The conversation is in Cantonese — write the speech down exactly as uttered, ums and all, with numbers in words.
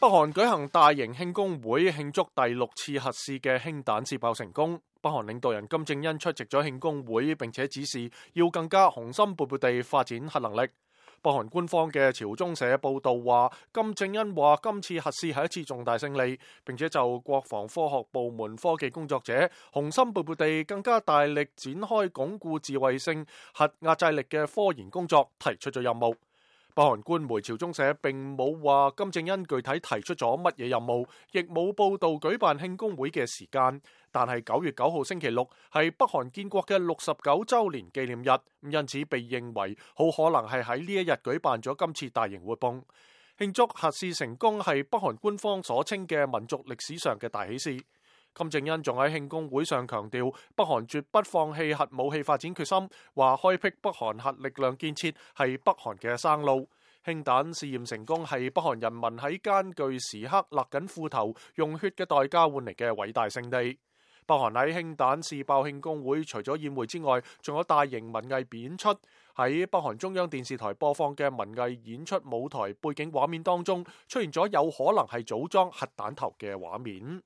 北韓舉行大型慶功會，慶祝第六次核試嘅氫彈試爆成功。北韓領導人金正恩出席咗慶功會，並且指示要更加雄心勃勃地發展核能力。北韓官方嘅朝中社報道話，金正恩話今次核試係一次重大勝利，並且就國防科學部門科技工作者雄心勃勃地更加大力展開鞏固自衛性核壓制力嘅科研工作提出咗任務。北韓官媒朝中社並冇話金正恩具體提出咗乜嘢任務，亦冇報道舉辦慶功會嘅時間。但係九月九號星期六係北韓建國嘅六十九週年紀念日，因此被認為好可能係喺呢一日舉辦咗今次大型活動。慶祝核試成功係北韓官方所稱嘅民族歷史上嘅大喜事。金正恩仲喺慶功會上強調，北韓絕不放棄核武器發展決心，話開闢北韓核力量建設係北韓嘅生路。氫彈試驗成功係北韓人民喺艱巨時刻勒緊褲頭用血嘅代價換嚟嘅偉大勝利。北韓喺氫彈試爆慶功會除咗宴會之外，仲有大型文藝演出。喺北韓中央電視台播放嘅文藝演出舞台背景畫面當中，出現咗有可能係組裝核彈頭嘅畫面。